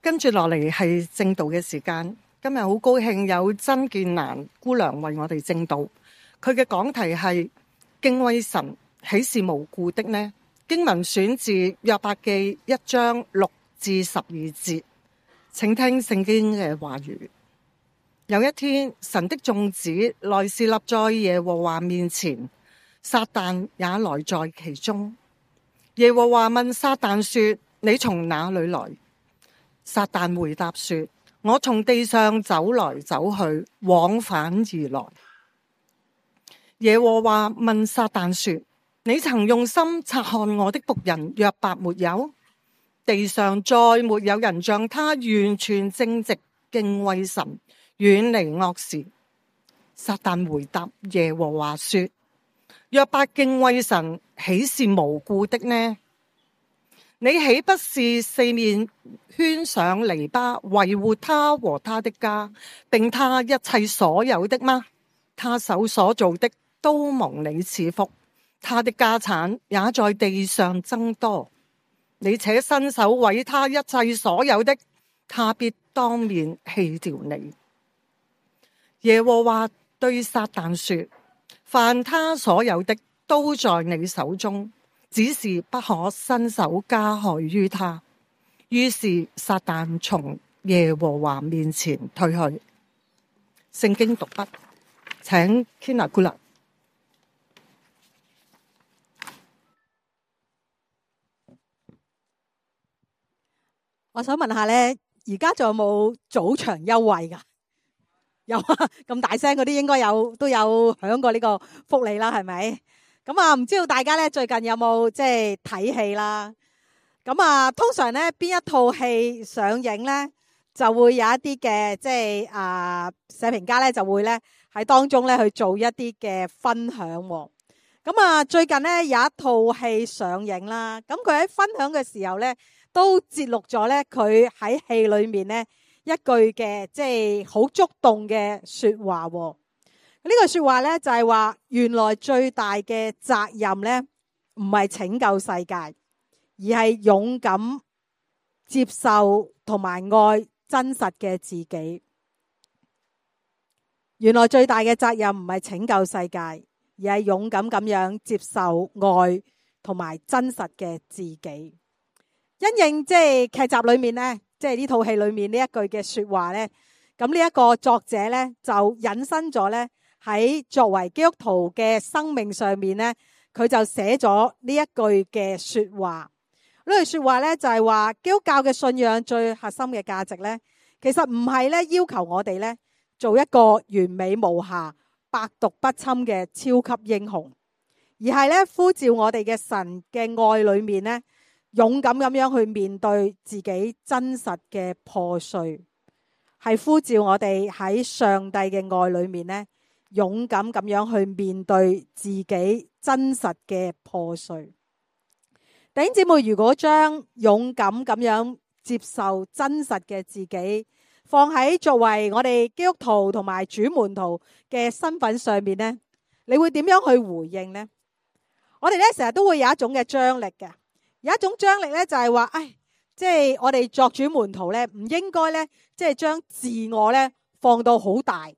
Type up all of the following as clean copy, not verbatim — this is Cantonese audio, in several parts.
跟住落嚟係正道嘅時間。今日好高興有曾建蘭姑娘為我哋正道。佢嘅講題係敬畏神，豈是無故的呢？經文選自約伯記1章6至12節。請聽聖經嘅話語。有一天，神的眾子來侍立在耶和華面前，撒旦也來在其中。耶和華問撒旦說：你從哪裏來？撒旦回答說：我從地上走來走去，往返而來。耶和華問撒旦說：你曾用心察看我的僕人約伯沒有？地上再沒有人像他完全正直，敬畏神，遠離惡事。撒旦回答耶和華說：約伯敬畏神，豈是無故的呢？你豈不是四面圈上籬笆，維護他和他的家，並他一切所有的嗎？他手所做的都蒙你賜福，他的家產也在地上增多。你且伸手毀他一切所有的，他必當面棄掉你。耶和華對撒旦說：凡他所有的都在你手中，只是不可伸手加害於他。於是撒旦從耶和華面前退去。聖經讀畢，請 Kina 姑娘。我想問下咧，而家仲有冇早場優惠噶？有啊，咁大聲嗰啲應該都有響過呢個福利啦，係咪？咁啊，唔知道大家咧最近有冇即係睇戲啦？咁啊，通常咧邊一套戲上映咧，就會有一啲嘅即係社評家咧就會咧喺當中咧去做一啲嘅分享。咁啊，最近咧有一套戲上映啦，咁佢喺分享嘅時候咧，都節錄咗咧佢喺戲裏面咧一句嘅即係好觸動嘅說話。呢句說話咧就係話，原來最大嘅責任咧唔係拯救世界，而係勇敢接受同埋愛真實嘅自己。原來最大嘅責任唔係拯救世界，而係勇敢咁樣接受愛同埋真實嘅自己。因應即係劇集裏面咧，即係呢套戲裏面呢一句嘅說話咧，咁呢一個作者咧就引申咗咧喺作為基督徒嘅生命上面咧，佢就寫咗呢一句嘅說話。呢句說話咧就係話，基督教嘅信仰最核心嘅價值咧，其實唔係咧要求我哋咧做一個完美無瑕、百毒不侵嘅超級英雄，而係咧呼召我哋嘅神嘅愛裏面咧，勇敢咁樣去面對自己真實嘅破碎，係呼召我哋喺上帝嘅愛裏面咧，勇敢咁樣去面對自己真實嘅破碎。弟兄姊妹，如果將勇敢咁樣接受真實嘅自己放喺作為我哋基督徒同埋主門徒嘅身份上面咧，你會點樣去回應呢？我哋咧成日都會有一種嘅張力嘅。有一種張力咧，就係話，即係我哋作主門徒咧，唔應該咧，即係將自我咧放到好大。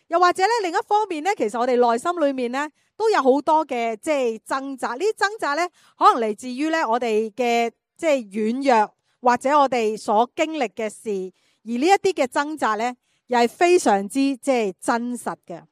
又或者咧，另一方面咧，其實我哋內心裏面咧，都有好多嘅即係掙扎。呢啲掙扎咧，可能嚟自於咧我哋嘅即係軟弱，或者我哋所經歷嘅事。而呢一啲嘅掙扎咧，又係非常之即係真實嘅。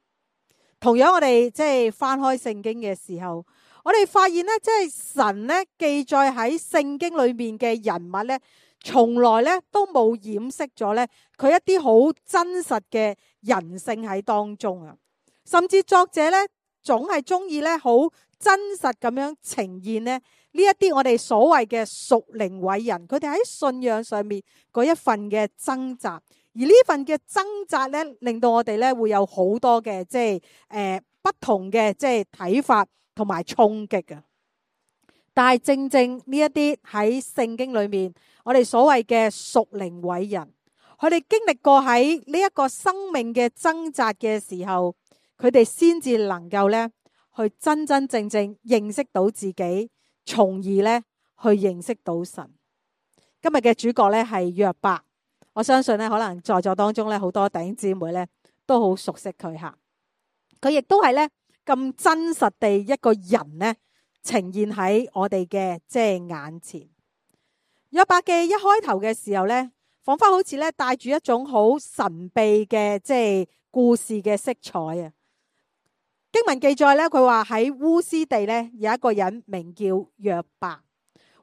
同樣我哋即係翻開聖經嘅時候，我哋發現咧，即係神咧記載喺聖經裏面嘅人物咧，從來咧都冇掩飾咗咧佢一啲好真實嘅人性喺當中啊。甚至作者咧總係中意咧好真實咁樣呈現咧呢一啲我哋所謂嘅屬靈偉人，佢哋喺信仰上面嗰一份嘅掙扎。而呢份嘅掙扎咧，令到我哋咧會有好多嘅即係不同嘅即係睇法同埋衝擊啊！但係正正呢一啲喺聖經裏面，我哋所謂嘅屬靈偉人，佢哋經歷過喺呢一個生命嘅掙扎嘅時候，佢哋先至能夠咧去真真正正認識到自己，從而咧去認識到神。今日嘅主角咧係約伯，我相信咧，可能在座當中咧，好多弟兄姊妹咧都好熟悉佢吓。佢亦都係咧咁真實地一個人咧呈現喺我哋嘅即係眼前。約伯記一開頭嘅時候咧，彷彿好似咧帶住一種好神秘嘅即係故事嘅色彩啊。經文記載咧，佢話喺烏斯地咧有一個人名叫約伯。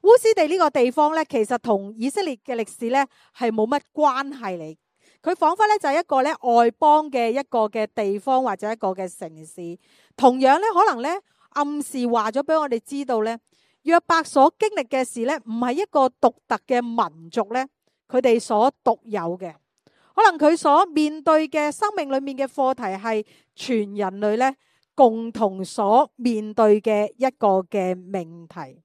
烏斯地呢個地方咧，其實同以色列嘅歷史咧係冇乜關係嚟。佢彷彿咧就係一個咧外邦嘅一個嘅地方或者一個嘅城市。同樣咧，可能咧暗示話咗俾我哋知道咧，約伯所經歷嘅事咧，唔係一個獨特嘅民族咧，佢哋所獨有嘅。可能佢所面對嘅生命裏面嘅課題係全人類咧共同所面對嘅一個嘅命題。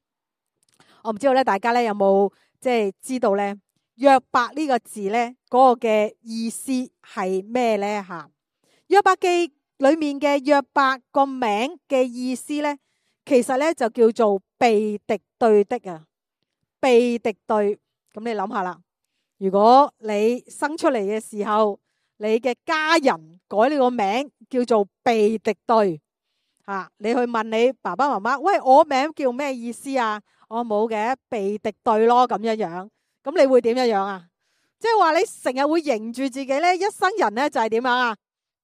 我唔知道咧，大家咧有冇即係知道咧約伯呢個字咧嗰個嘅意思係咩咧吓？約伯記裏面嘅約伯個名嘅意思咧，其實咧就叫做被敵對的啊，被敵對。咁你諗下啦，如果你生出嚟嘅時候，你嘅家人改你個名叫做被敵對吓，你去問你爸爸媽媽，喂，我名叫咩意思啊？我冇嘅，被敵對咯，咁樣樣。咁你會點樣樣啊？即係話你成日會認住自己咧，一生人咧就係點樣啊？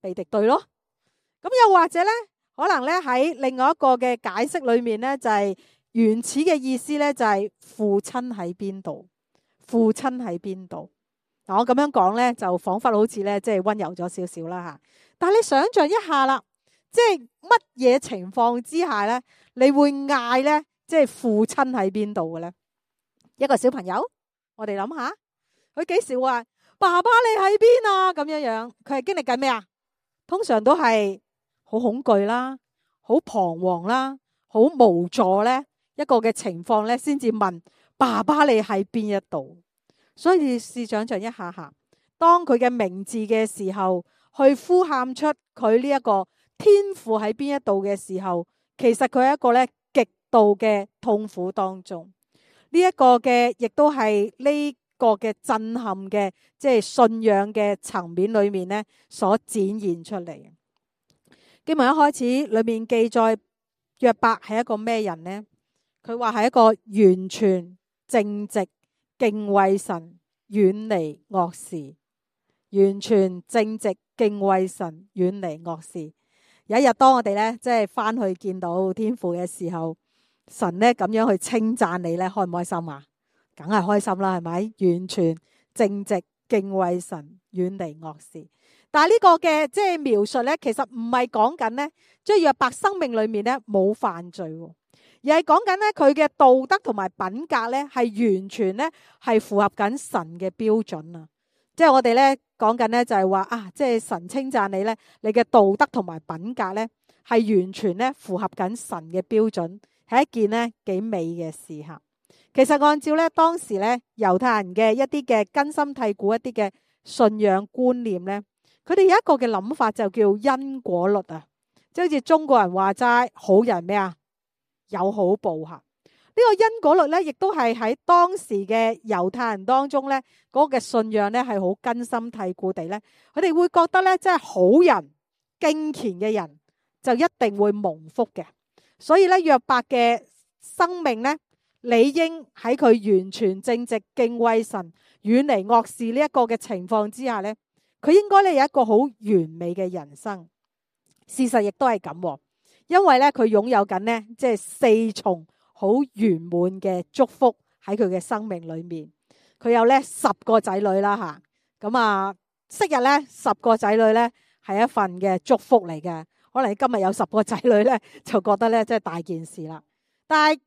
被敵對咯。咁又或者咧，可能咧喺另外一個嘅解釋裏面咧，就係原始嘅意思咧，就係父親喺邊度？父親喺邊度？嗱，我咁樣講咧，就彷彿好似咧，即係溫柔咗少少啦吓。但係你想象一下啦，即係乜嘢情況之下咧，你會嗌咧？即係父親喺邊度嘅咧？一個小朋友，我哋諗下，佢幾時話爸爸你喺邊啊？咁樣樣，佢係經歷緊咩啊？通常都係好恐懼啦，好彷徨啦，好無助咧，一個嘅情況咧，先至問爸爸你喺邊一度。所以你試想象一下下，當佢嘅名字嘅時候，去呼喊出佢呢一個天父喺邊一度嘅時候，其實佢係一個咧度嘅痛苦當中，呢一個嘅亦都係呢個嘅震撼嘅，即係信仰嘅層面裏面咧所展現出嚟。經文一開始裏面記載約伯係一個咩人呢？佢話係一個完全正直、敬畏神、遠離惡事。完全正直、敬畏神、遠離惡事。有一日當我哋咧即係翻去見到天父嘅時候，神咧咁樣去稱讚你咧，開唔開心啊？梗係開心啦，係咪？完全正直、敬畏神、遠離惡事。但係呢個嘅即係描述咧，其實唔係講緊咧，即係約伯生命裏面咧冇犯罪，而係講緊咧佢嘅道德同埋品格咧係完全咧係符合緊神嘅標準啊！即係我哋咧講緊咧就係話啊，即係神稱讚你咧，你嘅道德同埋品格咧係完全咧符合緊神嘅標準。係一件咧幾美嘅事吓。其實按照咧當時咧猶太人嘅一啲嘅根深蒂固一啲嘅信仰觀念咧，佢哋有一個嘅諗法就叫因果律啊，即係好似中國人話齋好人咩啊有好報吓。呢個因果律咧，亦都係喺當時嘅猶太人當中咧嗰個嘅信仰咧係好根深蒂固地咧，佢哋會覺得咧即係好人敬虔嘅人就一定會蒙福嘅。所以咧，約伯嘅生命咧，理應喺佢完全正直、敬畏神、遠離惡事呢一個嘅情況之下咧，佢應該咧有一個好完美嘅人生。事實亦都係咁，因為咧佢擁有緊呢，即係四重好圓滿嘅祝福喺佢嘅生命裏面。佢有咧10個仔女啦吓，咁啊，昔日咧10個仔女咧係一份嘅祝福嚟嘅。可能你今日有10個仔女咧，就覺得咧即係大件事啦。但係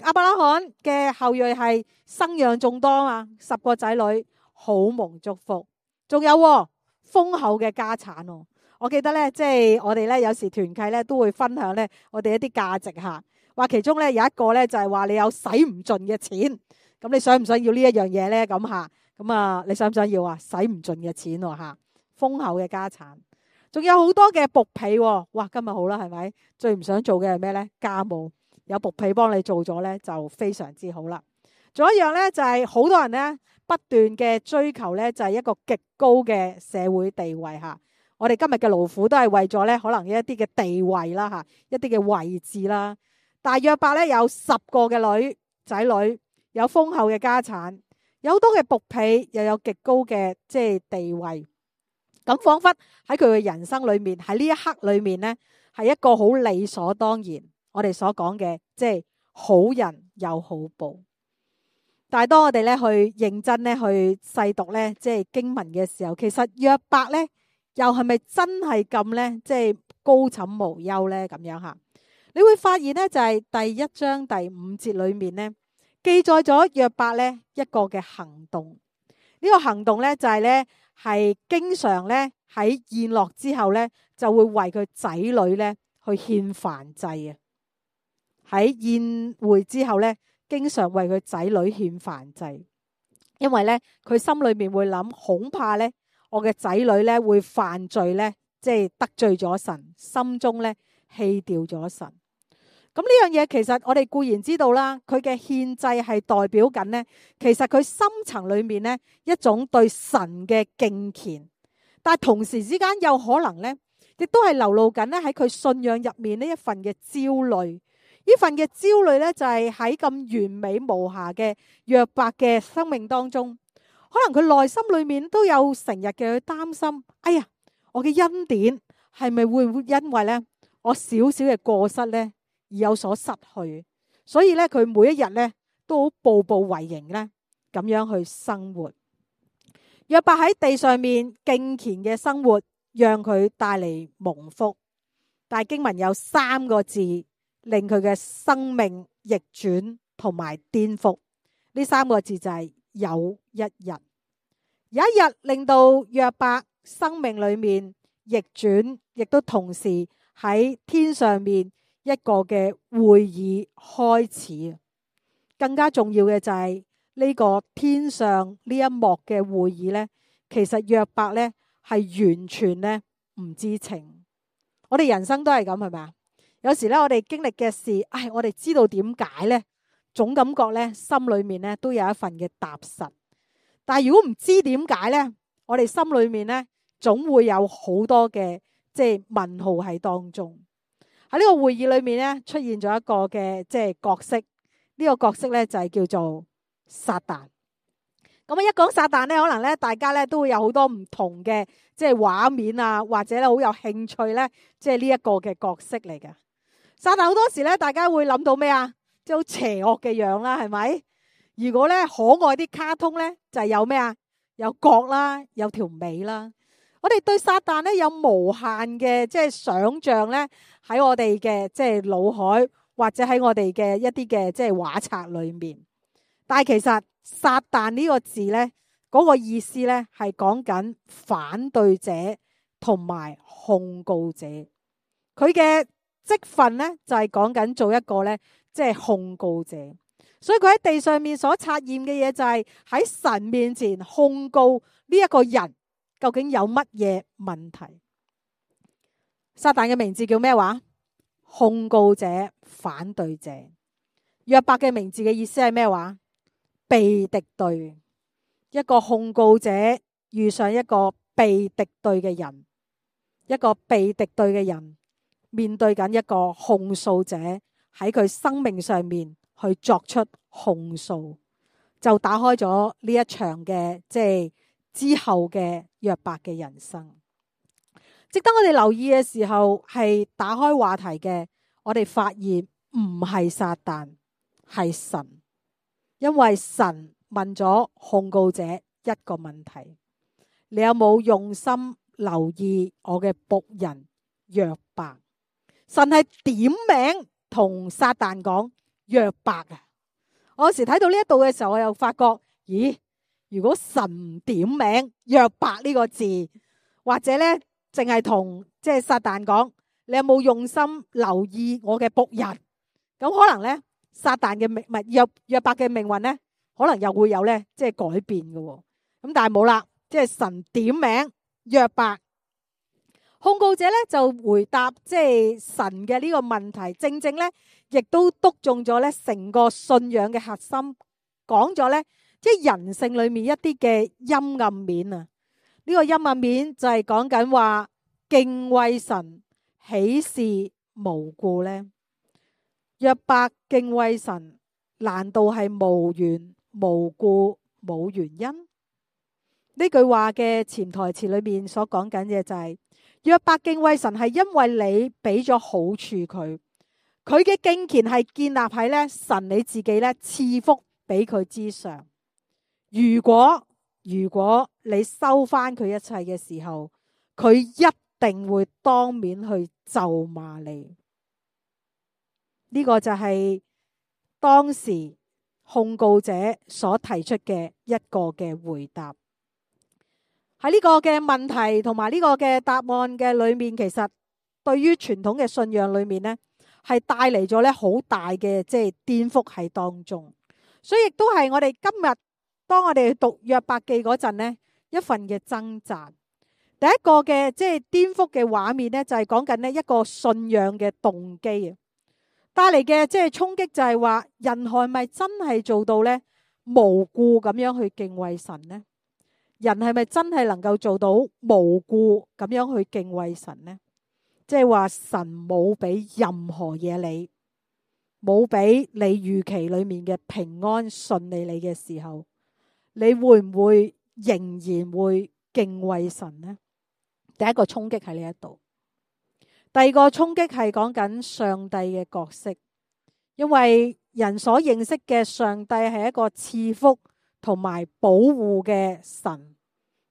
亞伯拉罕嘅後裔係生養眾多啊，10個仔女好蒙祝福，仲有豐厚嘅家產。我記得咧，即係我哋咧有時團契咧都會分享咧我哋一啲價值吓，話其中咧有一個咧就係話你有使唔盡嘅錢，咁你想唔想要呢一樣嘢咧？咁吓，咁啊你想唔想要啊？使唔盡嘅錢吓，豐厚嘅家產。仲有好多嘅僕婢，哇！今日好啦，係咪？最唔想做嘅係咩咧？家務有僕婢幫你做咗咧，就非常之好啦。仲有一樣咧，就係好多人咧不斷嘅追求咧，就係一個極高嘅社會地位吓。我哋今日嘅勞苦都係為咗咧，可能一啲嘅地位啦吓，一啲嘅位置啦。但係約伯咧有10個嘅仔女，有豐厚嘅家產，有好多嘅僕婢，又有極高嘅即係地位。咁仿佛喺佢嘅人生裏面，喺呢一刻裏面咧，係一個好理所當然。我哋所講嘅即係好人有好報。但係當我哋咧去認真咧去細讀咧即係經文嘅時候，其實約伯咧又係咪真係咁咧即係高枕無憂咧咁樣吓？你會發現咧就係第1章第5節裏面咧記載咗約伯咧一個嘅行動。呢個行動咧就係咧係經常咧喺宴樂之後咧就會為佢仔女咧去獻燔祭啊！喺宴會之後咧，經常為佢仔女獻燔祭，因為咧佢心裏面會諗，恐怕咧我嘅仔女咧會犯罪咧，即係得罪咗神，心中咧棄掉咗神。咁呢樣嘢其實我哋固然知道啦，佢嘅獻祭係代表緊咧，其實佢深層裏面咧一種對神嘅敬虔，但係同時之間有可能咧，亦都係流露緊咧喺佢信仰入面呢一份嘅焦慮。呢份嘅焦慮咧，就係喺咁完美無瑕嘅約伯嘅生命當中，可能佢內心裏面都有成日嘅去擔心。哎呀，我嘅恩典係咪會因為咧我少少嘅過失咧而有所失去？所以咧，佢每一日咧都好步步為營咧，咁樣去生活。約伯喺地上面敬虔嘅生活，讓佢帶嚟蒙福。但係經文有3個字，令佢嘅生命逆轉同埋顛覆。呢3個字就係有一日。有一日令到約伯生命裏面逆轉，亦都同時喺天上面一個嘅會議開始。更加重要嘅就係呢個天上呢一幕嘅會議呢，其實約伯呢係完全呢唔知情。我哋人生都係咁，係咪啊？有時咧，我哋經歷嘅事，我哋知道點解咧，總感覺咧，心裏面咧都有一份嘅踏實。但係如果唔知點解咧，我哋心裏面咧總會有好多嘅即係問號喺當中。喺呢個會議裏面咧，出現咗一個嘅即係角色，呢個角色咧就係叫做撒旦。咁一講撒旦咧，可能咧大家咧都會有好多唔同嘅即係畫面啊，或者咧好有興趣咧，即係呢一個嘅角色嚟嘅。撒旦好多時咧，大家會諗到咩啊？即係好邪惡嘅樣啦，係咪？如果咧可愛啲卡通咧，就係有咩啊？有角啦，有條尾啦。我哋對撒旦咧有無限嘅即係想像咧，喺我哋嘅即係腦海，或者喺我哋嘅一啲嘅即係畫冊裏面。但係其實撒旦呢個字咧，嗰個意思咧係講緊反對者同埋控告者。佢嘅職分咧就係講緊做一個咧即係控告者。所以佢喺地上面所察驗嘅嘢就係喺神面前控告呢一個人究竟有乜嘢問題。撒旦嘅名字叫咩話？控告者、反對者。約伯嘅名字嘅意思係咩話？被敵對。一個控告者遇上一個被敵對嘅人，一個被敵對嘅人面對緊一個控訴者喺佢生命上面去作出控訴，就打開咗呢一場嘅即係之後嘅約伯嘅人生。值得我哋留意嘅時候係打開話題嘅，我哋發現唔係撒旦，係神。因為神問咗控告者一個問題：你有冇用心留意我嘅僕人約伯？神係點名同撒旦講約伯啊！我有時睇到呢一度嘅時候，我又發覺，咦？如果神唔點名約伯呢個字，或者咧淨係同即係撒旦講，你有冇用心留意我嘅僕人？咁可能咧，撒旦嘅命運約伯嘅命運咧，可能又會有咧即係改變嘅。咁但係冇啦，即係神點名約伯。控告者咧就回答即係神嘅呢個問題，正正咧亦都篤中咗咧成個信仰嘅核心，講咗咧即係人性裏面一啲嘅陰暗面啊。呢個陰暗面就係講緊話敬畏神，豈是無故呢？約伯敬畏神，難道係無緣無故冇原因？呢句話嘅潛台詞裏面所講緊嘅就係約伯敬畏神係因為你俾咗好處佢，佢嘅敬虔係建立喺咧神你自己咧賜福俾佢之上。如果你收翻佢一切嘅時候，佢一定會當面去咒罵你。呢個就係當時控告者所提出嘅一個嘅回答。喺呢個嘅問題同埋呢個嘅答案嘅裏面，其實對於傳統嘅信仰裏面呢，係帶嚟咗咧好大嘅即係顛覆喺當中。所以亦都係我哋今日當我哋讀約伯記嗰陣呢，一份嘅掙扎。第一個嘅即係顛覆嘅畫面呢，就係講緊呢一個信仰嘅動機啊，帶嚟嘅即係衝擊就係話人係咪真係做到呢無故咁樣去敬畏神呢？人係咪真係能夠做到無故咁樣去敬畏神呢？即係話神冇俾任何嘢你，冇俾你預期裏面嘅平安順利你嘅時候，你會唔會仍然會敬畏神呢？第一個衝擊喺呢一度。第二個衝擊係講緊上帝嘅角色，因為人所認識嘅上帝係一個賜福同埋保護嘅神。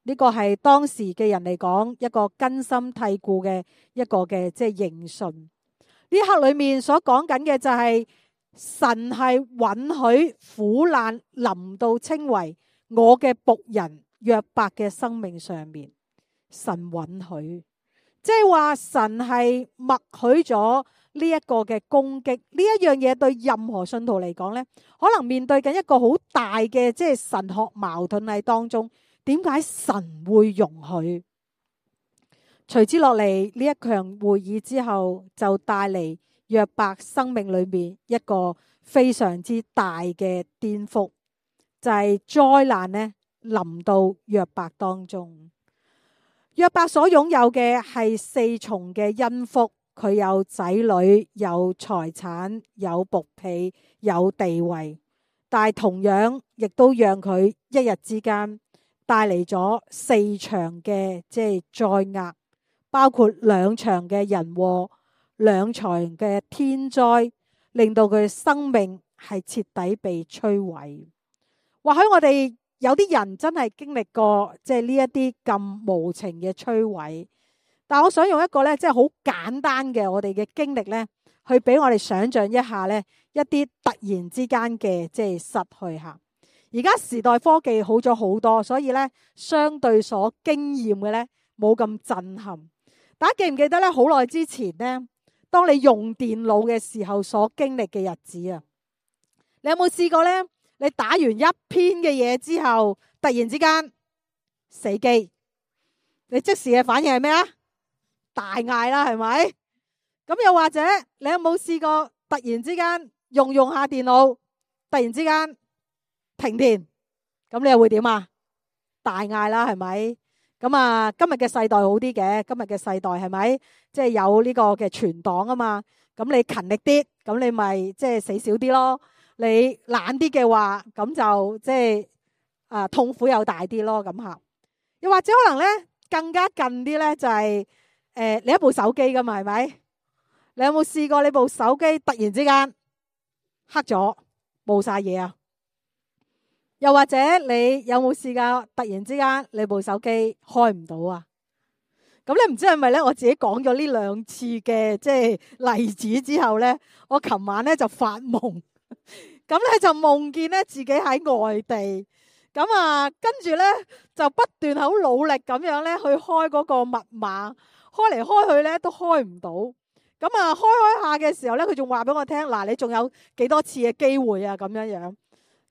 呢個係當時嘅人嚟講一個根深蒂固嘅一個嘅即係認信。呢刻裏面所講緊嘅就係神係允許苦難臨到稱為我嘅僕人約伯嘅生命上面，神允許，即係話神係默許咗呢一個嘅攻擊。呢一樣嘢對任何信徒嚟講呢，可能面對緊一個好大嘅即係神學矛盾喺當中。點解神會容許？隨之落嚟呢一場會議之後，就帶嚟約伯生命裏面一個非常之大嘅顛覆，就係災難呢臨到約伯當中。約伯所擁有嘅係四重嘅恩福，佢有仔女，有財產，有僕婢，有地位，但係同樣亦都讓佢一日之間帶嚟咗四場嘅即係災厄，包括兩場嘅人禍，兩場嘅天災，令到佢生命係徹底被摧毀。或許我哋有啲人真係經歷過即係呢一啲咁無情嘅摧毀，但我想用一個咧即係好簡單嘅我哋嘅經歷咧，去俾我哋想象一下咧一啲突然之間嘅即係失去下。而家時代科技好咗好多，所以咧相對所經驗嘅咧冇咁震撼。大家記唔記得咧？好耐之前咧，當你用電腦嘅時候所經歷嘅日子啊，你有冇試過咧？你打完一篇嘅嘢之後，突然之間死機，你即時嘅反應係咩啊？大嗌啦，係咪？咁又或者你有冇試過突然之間用下電腦，突然之間停電，咁你又會點啊？大嗌啦，係咪？咁啊，今日嘅世代好啲嘅，今日嘅世代係咪？即係有呢個嘅存檔啊嘛，咁你勤力啲，咁你咪即係死少啲咯。你懶啲嘅話，咁就即係痛苦又大啲咯，咁吓。又或者可能咧更加近啲咧，就係你一部手機噶嘛，係咪？你有冇試過你部手機突然之間黑咗，冇晒嘢啊？又或者你有冇試過突然之間你部手機開唔到啊？咁你唔知係咪咧？我自己講咗呢兩次嘅即係例子之後咧，我琴晚咧就發夢，咁咧就夢見咧自己喺外地，咁啊跟住咧就不斷好努力咁樣咧去開嗰個密碼，開嚟開去咧都開唔到，咁啊開下嘅時候咧，佢仲話俾我聽，嗱，你仲有幾多次嘅機會啊？咁樣樣。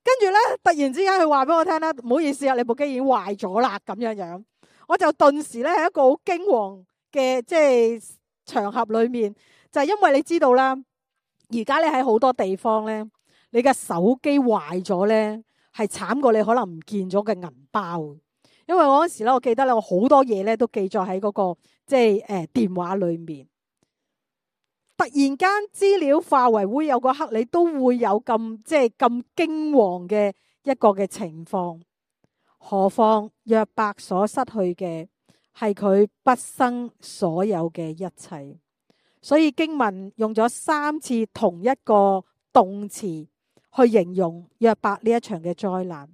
跟住咧，突然之間佢話俾我聽咧，唔好意思啊，你部機已經壞咗啦，咁樣樣，我就頓時咧喺一個好驚惶嘅即係場合裏面，就係因為你知道啦，而家咧喺好多地方咧，你嘅手機壞咗咧，係慘過你可能唔見咗嘅銀包。因為我嗰時咧，我記得咧，我好多嘢咧都記載喺嗰個即係電話裏面。突然間資料化為烏有嗰刻，你都會有咁即係咁驚惶嘅一個嘅情況。何況約伯所失去嘅係佢畢生所有嘅一切。所以經文用咗3次同一個動詞去形容約伯呢一場嘅災難。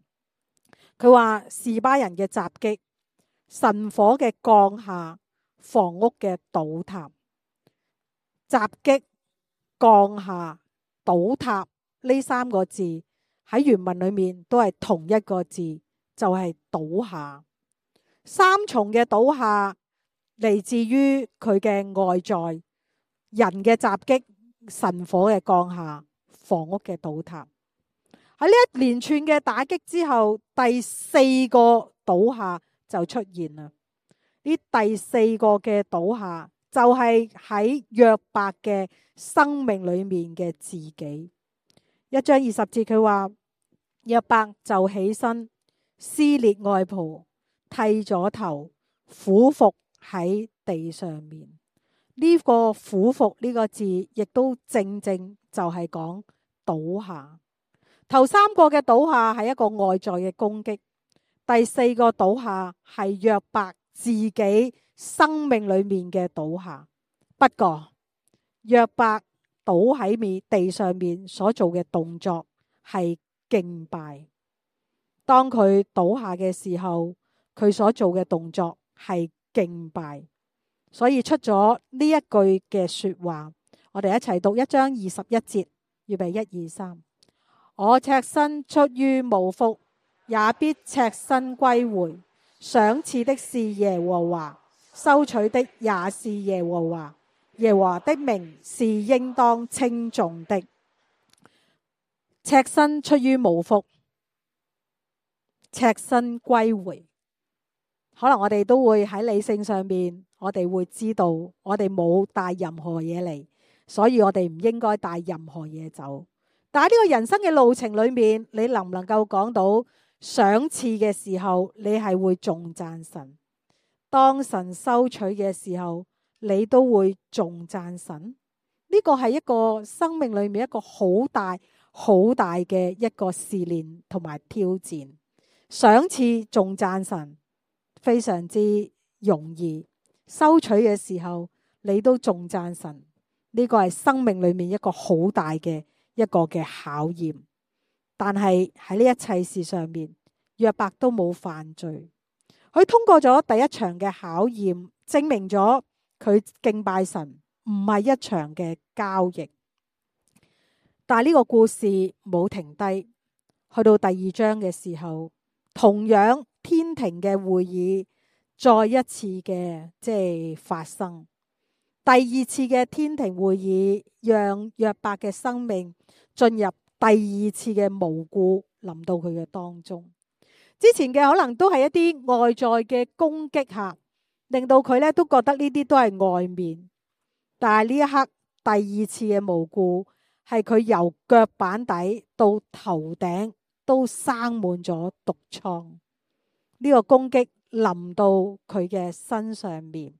佢話示巴人嘅襲擊、神火嘅降下、房屋嘅倒塌。襲擊、降下、倒塌呢3個字喺原文裏面都係同一個字，就係倒下。3重嘅倒下嚟自於佢嘅外在，人嘅襲擊、神火嘅降下、房屋嘅倒塌。喺呢一連串嘅打擊之後，第4個倒下就出現啦。呢第4個嘅倒下就係喺約伯嘅生命裏面嘅自己。1章20節佢話，約伯就起身撕裂外袍，剃咗頭，俯伏喺地上面。呢個俯伏呢個字亦都正正就係講倒下。頭3個嘅倒下係一個外在嘅攻擊，第4個倒下係約伯自己生命裏面嘅倒下。不過約伯倒喺地上面所做嘅動作係敬拜。當佢倒下嘅時候，佢所做嘅動作係敬拜。所以出咗呢一句嘅說話，我哋一齊讀1章21節，預備1、2、3。我赤身出於母腹，也必赤身歸回。賞賜的是耶和華，收取的也是耶和華。耶和華的名是應當稱頌的。赤身出於母腹，赤身歸回。可能我哋都會喺理性上面，我哋會知道我哋冇帶任何嘢嚟，所以我哋唔應該帶任何嘢走。但係呢個人生嘅路程裏面，你能唔能夠講到賞賜嘅時候，你係會頌讚神；當神收取嘅時候，你都會頌讚神。呢個係一個生命裏面一個好大好大嘅一個試煉同埋挑戰。賞賜頌讚神非常之容易，收取嘅時候你都頌讚神。呢個係生命裏面一個好大嘅一個嘅考驗。但係喺呢一切事上面，約伯都冇犯罪。佢通過咗第一場嘅考驗，證明咗佢敬拜神唔係一場嘅交易。但係呢個故事冇停低，去到第2章嘅時候，同樣天庭嘅會議再一次嘅即係發生。第2次嘅天庭會議，讓約伯嘅生命進入第2次嘅無故臨到佢嘅當中。之前嘅可能都係一啲外在嘅攻擊下，令到佢咧都覺得呢啲都係外面。但係呢一刻第2次嘅無故，係佢由腳板底到頭頂都生滿咗毒瘡。呢個攻擊臨到佢嘅身上面。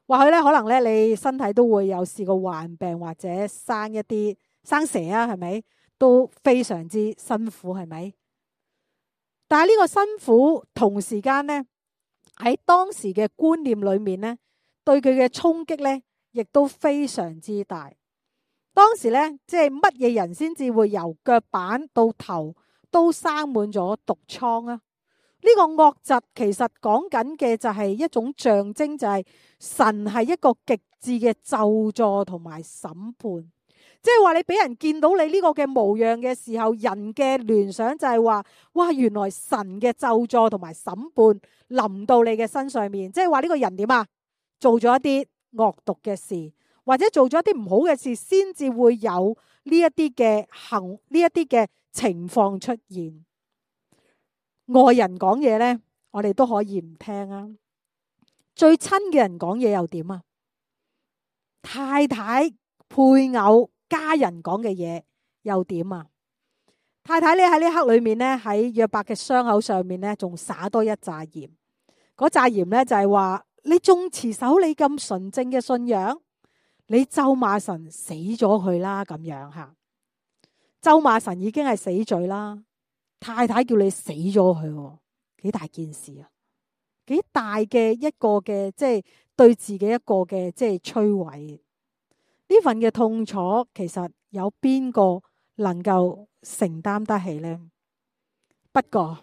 或許咧，可能咧，你身體都會有試過患病或者生一啲生蛇啊，係咪都非常之辛苦，係咪？但係呢個辛苦同時間呢，喺當時嘅觀念裏面呢，對佢嘅衝擊呢，亦都非常之大。當時呢，即係乜嘢人先至會由腳板到頭都生滿咗毒瘡啊？呢個惡疾其實講緊嘅就係一種象徵，就係神係一個極致嘅咒詛同埋審判。即係話你俾人見到你呢個嘅模樣嘅時候，人嘅聯想就係話，哇，原來神嘅咒詛同埋審判臨到你嘅身上面。即係話呢個人點啊？做咗一啲惡毒嘅事，或者做咗一啲唔好嘅事，先至會有呢一啲嘅呢一啲嘅情況出現。外人講嘢呢，我哋都可以唔聽啊。最親嘅人講嘢又點啊？太太、配偶、家人講嘅嘢又點啊？太太咧喺呢刻裏面咧，喺約伯嘅傷口上面咧，仲灑多一紮鹽。嗰紮鹽咧就係話，你仲持守你咁純正嘅信仰，你咒罵神死咗佢啦咁樣吓。咒罵神已經係死罪啦，太太叫你死咗佢，幾大件事啊！幾大嘅一個嘅即係對自己一個嘅即係摧毀。呢份嘅痛楚，其實有邊個能夠承擔得起呢？不過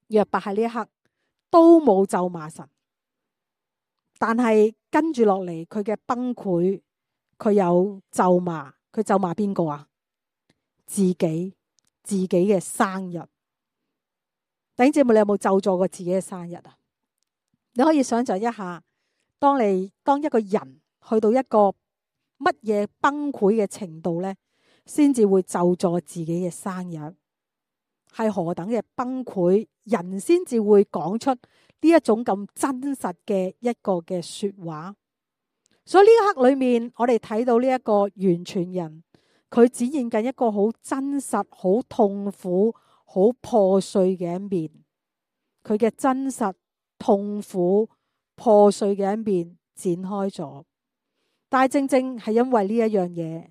約伯喺呢一刻都冇咒罵神，但係跟住落嚟佢嘅崩潰，佢有咒罵。佢咒罵邊個啊？自己嘅生日。弟兄姊妹，你有冇咒詛過自己嘅生日啊？你可以想象一下，當一個人去到一個乜嘢崩潰嘅程度呢，先至會咒詛自己嘅生日，係何等嘅崩潰，人先至會講出呢一種咁真實嘅一個嘅說話。所以呢一刻裏面，我哋睇到呢一個完全人，佢展現緊一個好真實、好痛苦、好破碎嘅一面。佢嘅真實、痛苦、破碎嘅一面展開咗，但係正正係因為呢一樣嘢，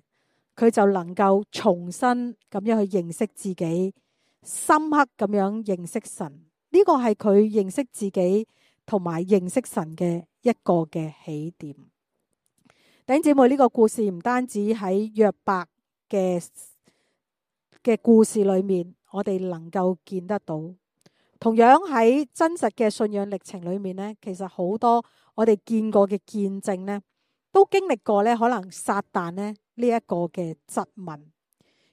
佢就能夠重新咁樣去認識自己，深刻咁樣認識神。呢個係佢認識自己同埋認識神嘅一個嘅起點。弟兄姊妹，呢個故事唔單止喺約伯嘅故事裏面，我哋能夠見得到。同樣喺真實嘅信仰歷程裏面呢，其實好多我哋見過嘅見證呢，都經歷過呢可能撒旦呢一個嘅質問。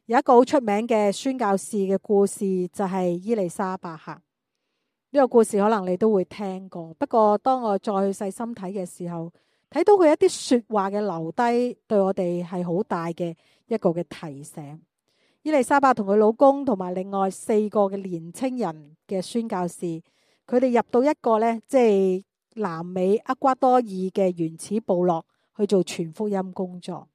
有一個好出名嘅宣教士嘅故事，就係伊麗莎白客。呢個故事可能你都會聽過，不過當我再去細心睇嘅時候，睇到佢一啲說話嘅留低，對我哋係好大嘅一個嘅提醒。伊麗莎白同佢老公同埋另外4個嘅年青人嘅宣教士，佢哋入到一個呢，即係南美厄瓜多爾嘅原始部落去做傳福音工作。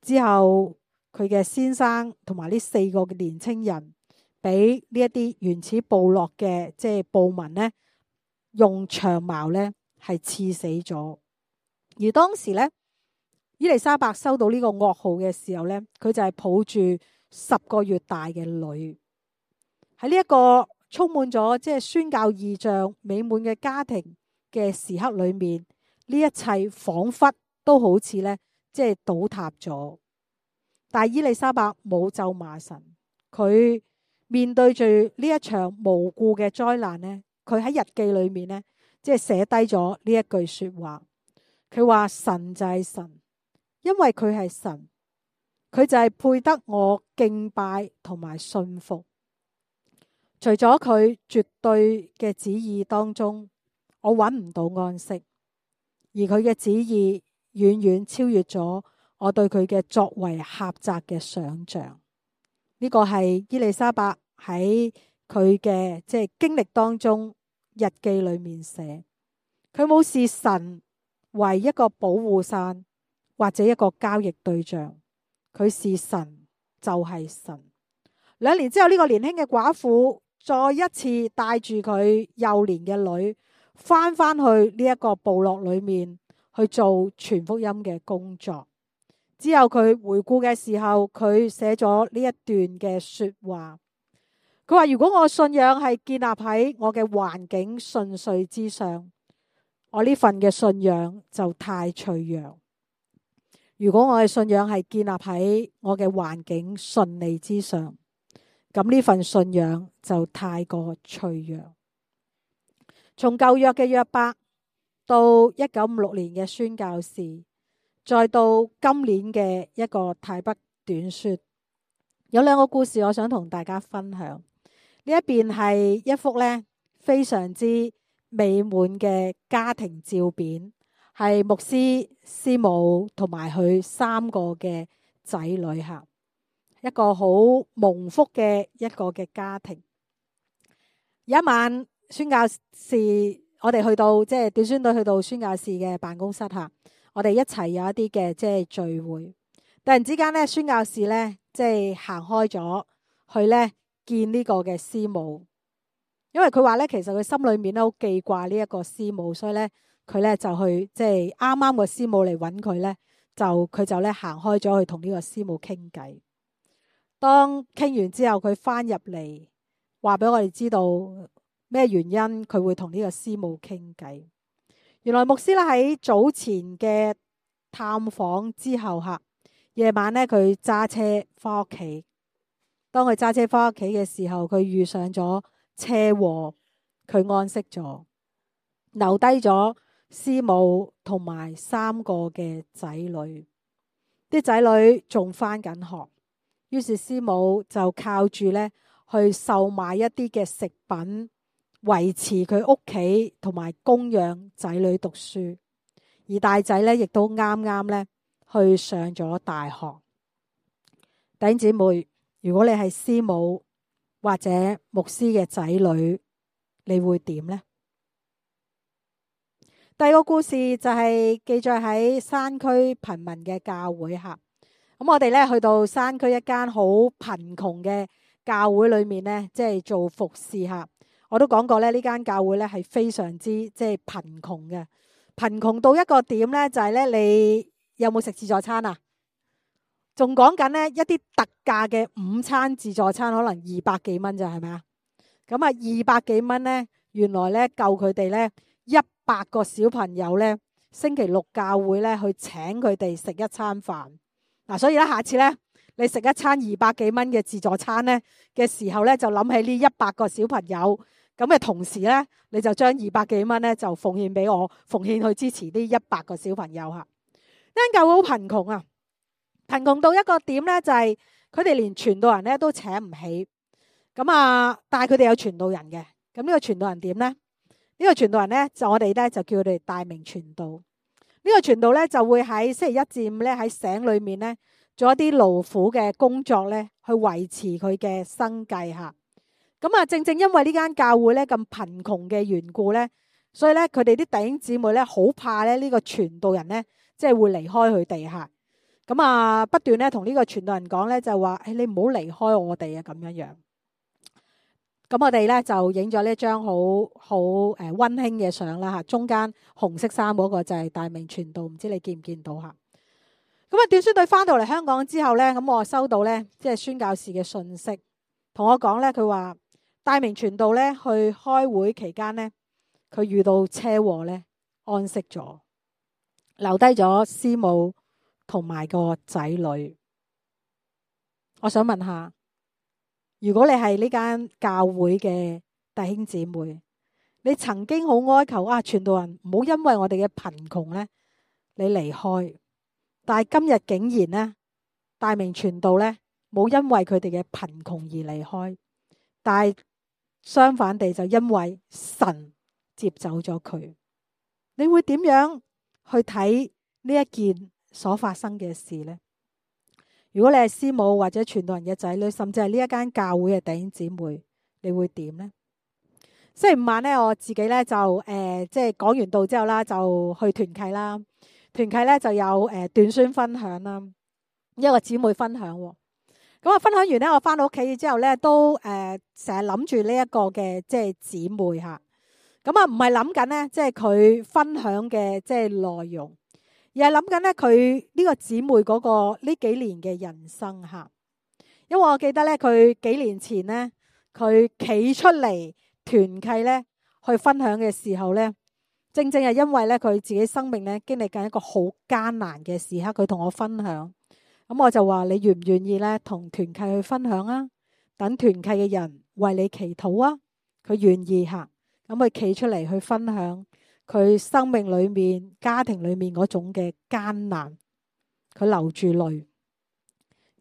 之後佢嘅先生同埋呢4個嘅年青人，俾呢一啲原始部落嘅即係暴民呢，用長矛呢係刺死咗。而當時呢，伊麗莎白收到呢個噩耗嘅時候呢，佢就係抱住10個月大嘅女。喺呢一個充滿咗即係宣教異象美滿嘅家庭嘅時刻裏面，呢一切仿佛都好似呢，即係倒塌咗。但係伊麗莎白冇咒罵神，佢面對住呢一場無故嘅災難呢，佢喺日記裏面呢，即係寫低咗呢一句說話。佢話神就係神，因為佢係神，佢就係配得我敬拜同埋信服。除咗佢絕對嘅旨意當中，我揾唔到安息，而佢嘅旨意遠遠超越咗我對佢嘅作為狹窄嘅想象。呢個係伊麗莎白喺佢嘅即係經歷當中日記裏面寫，佢冇視神為一個保護傘或者一個交易對象，佢視神就係神。2年之後，呢個年輕嘅寡婦再一次帶住佢幼年嘅女翻去呢一個部落裏面去做傳福音嘅工作。之後佢回顧嘅時候，佢寫咗呢一段嘅說話。佢話，如果我信仰係建立喺我嘅環境順遂之上，我呢份嘅信仰就太脆弱。如果我嘅信仰係建立喺我嘅環境順利之上，咁呢份信仰就太過脆弱。從舊約嘅約伯到1956年嘅宣教士，再到今年嘅一個泰北短說，有2個故事我想同大家分享。呢一邊係一幅呢非常之美滿嘅家庭照片，係牧師、師母同埋佢3個嘅仔女吓，一個好蒙福嘅一個嘅家庭。有一晚宣教士，我哋去到即係短宣隊去到宣教士嘅辦公室吓，我哋一齊有一啲嘅即係聚會。突然之間咧，宣教士咧即係行開咗去咧見呢個嘅師母，因為佢話咧，其實佢心裏面咧好記掛呢一個師母，所以咧佢咧就去即係啱啱個師母嚟揾佢咧，佢就咧行開咗去同呢個師母傾偈。當傾完之後，佢翻入嚟話俾我哋知道咩原因佢會同呢個師母傾偈。原來牧師咧喺早前嘅探訪之後夜晚咧佢揸車翻屋企。當佢揸車翻屋企嘅時候，佢遇上咗車禍，佢安息咗，留低咗師母同埋3個嘅仔女。啲仔女仲翻緊學，於是師母就靠住咧去售賣一啲嘅食品，維持佢屋企同埋供養仔女讀書。而大仔咧亦都啱啱咧去上咗大學。弟兄姊妹，如果你係師母或者牧師嘅仔女，你會點呢？第二個故事就係記載喺山區貧民嘅教會咁我哋咧去到山區一間好貧窮嘅教會裏面呢，即係做服侍我都講過咧，呢間教會咧係非常之即係貧窮嘅，貧窮到一個點呢，就係咧你有冇食自助餐啊？仲講緊呢一啲特價嘅午餐自助餐，可能200幾蚊咋，係咪啊？咁200幾蚊呢，原來呢夠佢哋呢100個小朋友呢星期六教會呢去請佢哋食一餐飯。所以咧下次呢你食一餐200幾蚊嘅自助餐呢嘅時候呢，就諗起呢100個小朋友，咁嘅同時呢，你就將200幾蚊呢就奉獻俾我，奉獻去支持呢100個小朋友呢間教會好貧窮貧窮到一個點呢，就係佢哋連傳道人呢都請唔起。但係佢哋有傳道人嘅。咁呢個傳道人點呢？呢個傳道人呢，就我哋呢就叫佢哋大名傳道。呢個傳道呢，就會喺星期1至5呢喺省裏面呢做一啲勞苦嘅工作呢，去維持佢嘅生計正正因為呢間教會呢咁貧窮嘅緣故呢，所以呢佢哋啲弟兄姊妹呢好怕呢個傳道人呢即係會離開佢哋不斷咧同呢個傳道人講咧，就話你唔好離開我哋咁樣樣。咁我哋咧就影咗呢張好溫馨嘅相啦中間紅色衫嗰個就係大名傳道，唔知你見唔見到短宣隊翻到嚟香港之後咧，咁我收到咧即係宣教士嘅信息，同我講咧，佢話大名傳道咧去開會期間咧，佢遇到車禍咧安息咗，留低咗師母同埋個仔女。我想問下，如果你係呢間教會嘅弟兄姊妹，你曾經好哀求傳道人唔好因為我哋嘅貧窮咧，你離開，但係今日竟然咧，大名傳道咧冇因為佢哋嘅貧窮而離開，但係相反地就因為神接走咗佢。你會點樣去睇呢一件所發生嘅事呢？如果你係師母或者傳道人嘅仔女，甚至係呢一間教會嘅弟兄姊妹，你會點呢？星期5晚咧，我自己咧就即係講完道之後啦，就去團契啦。團契咧就有短宣分享啦，一個姊妹分享。咁分享完咧，我翻到屋企之後咧，都成日諗住呢一個嘅即係姊妹唔係諗緊咧，即係佢分享嘅即係內容。而係諗緊咧，佢呢個姊妹嗰個呢幾年嘅人生因為我記得咧，佢幾年前咧，佢企出嚟團契咧去分享嘅時候咧，正正係因為咧佢自己生命咧經歷緊一個好艱難嘅時刻，佢同我分享。咁我就話：你願唔願意咧同團契去分享啊？等團契嘅人為你祈禱啊！佢願意咁佢企出嚟去分享。佢生命裏面、家庭裏面嗰種嘅艱難，佢流住淚。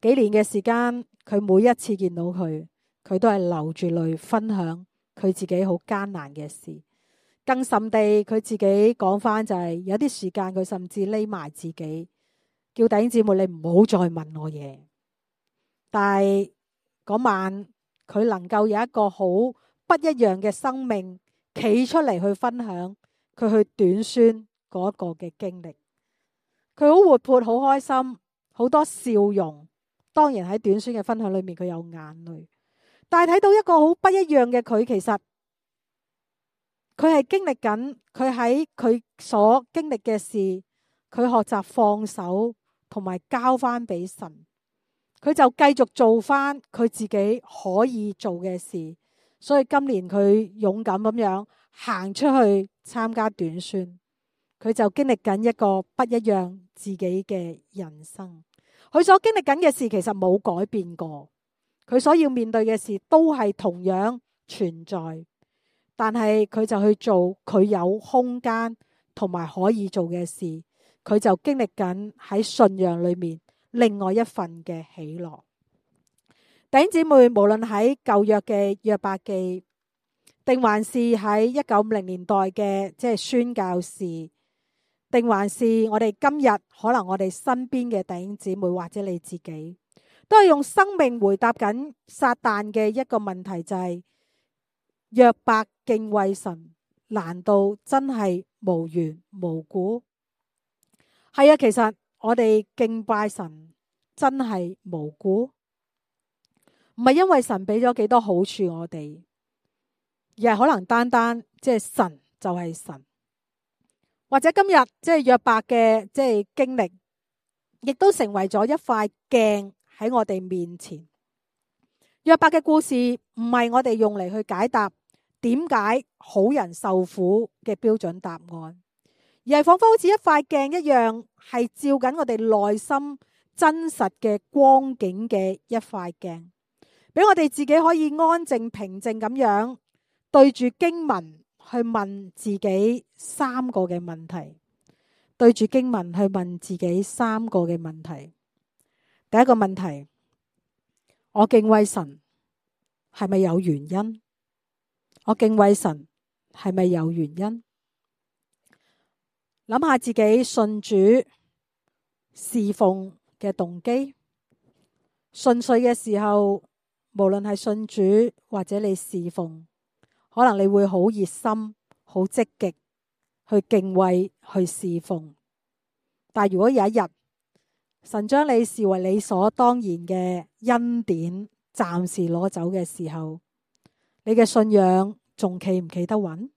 幾年嘅時間，佢每一次見到佢，佢都係流住淚分享佢自己好艱難嘅事。更甚地，佢自己講翻就係有啲時間，佢甚至匿埋自己，叫弟兄姊妹你唔好再問我嘢。但係嗰晚，佢能夠有一個好不一樣嘅生命，企出嚟去分享。佢去短宣嗰個嘅經歷，佢好活潑，好開心，好多笑容。當然喺短宣嘅分享裏面，佢有眼淚。但係睇到一個好不一樣嘅佢，其實佢係經歷緊，佢喺佢所經歷嘅事，佢學習放手同埋交翻俾神，佢就繼續做翻佢自己可以做嘅事。所以今年佢勇敢咁樣行出去參加短宣，佢就經歷緊一個不一樣自己嘅人生。佢所經歷緊嘅事其實冇改變過，佢所要面對嘅事都係同樣存在，但係佢就去做佢有空間同埋可以做嘅事，佢就經歷緊喺信仰裏面另外一份嘅喜樂。弟兄姊妹，無論喺舊約嘅約伯記，定還是喺1950年代嘅即係宣教士，定還是我哋今日可能我哋身邊嘅弟兄姊妹或者你自己，都係用生命回答緊撒旦嘅一個問題，就係約伯敬畏神，難道真係無緣無故？係啊，其實我哋敬拜神真係無辜，唔係因為神俾咗幾多好處我哋，而係可能單單即係神就係神，或者今日即係約伯嘅即係經歷，亦都成為咗一塊鏡喺我哋面前。約伯嘅故事唔係我哋用嚟去解答點解好人受苦嘅標準答案，而係仿佛好似一塊鏡一樣，係照緊我哋內心真實嘅光景嘅一塊鏡，俾我哋自己可以安靜平靜咁樣對住經文去問自己3個嘅問題。對住經文去問自己3個嘅問題。第一個問題，我敬畏神係咪有原因？我敬畏神係咪有原因？諗下自己信主侍奉嘅動機。順遂嘅時候，無論係信主或者你侍奉，可能你會好熱心、好積極去敬畏、去侍奉。但如果有一日神將你視為理所當然嘅恩典暫時攞走嘅時候，你嘅信仰仲企唔企得穩？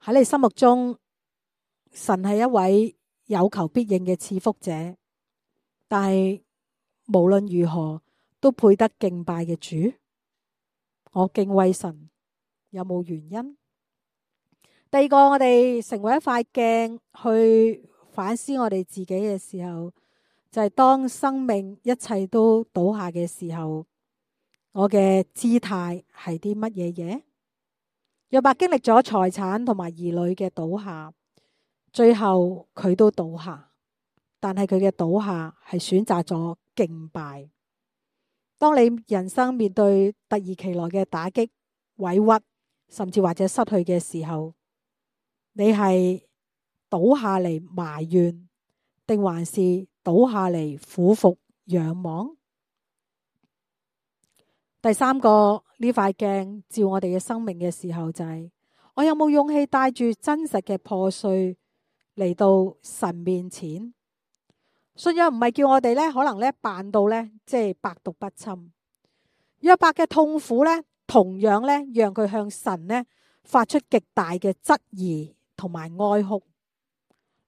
喺你心目中，神係一位有求必應嘅賜福者，但係無論如何都配得敬拜嘅主。我敬畏神有冇原因？第二個，我哋成為一塊鏡去反思我哋自己嘅時候，就係當生命一切都倒下嘅時候，我嘅姿態係啲乜嘢嘢？約伯經歷咗財產同埋兒女嘅倒下，最後佢都倒下，但係佢嘅倒下係選擇咗敬拜。當你人生面對突如其來嘅打擊、委屈，甚至或者失去嘅時候，你係倒下嚟埋怨，定還是倒下嚟俯伏仰望？第三個，呢塊鏡照我哋嘅生命嘅時候，就係我有冇勇氣帶住真實嘅破碎嚟到神面前？信仰唔係叫我哋咧，可能咧扮到咧即係百毒不侵。約伯嘅痛苦咧，同樣咧讓佢向神咧發出極大嘅質疑同埋哀哭。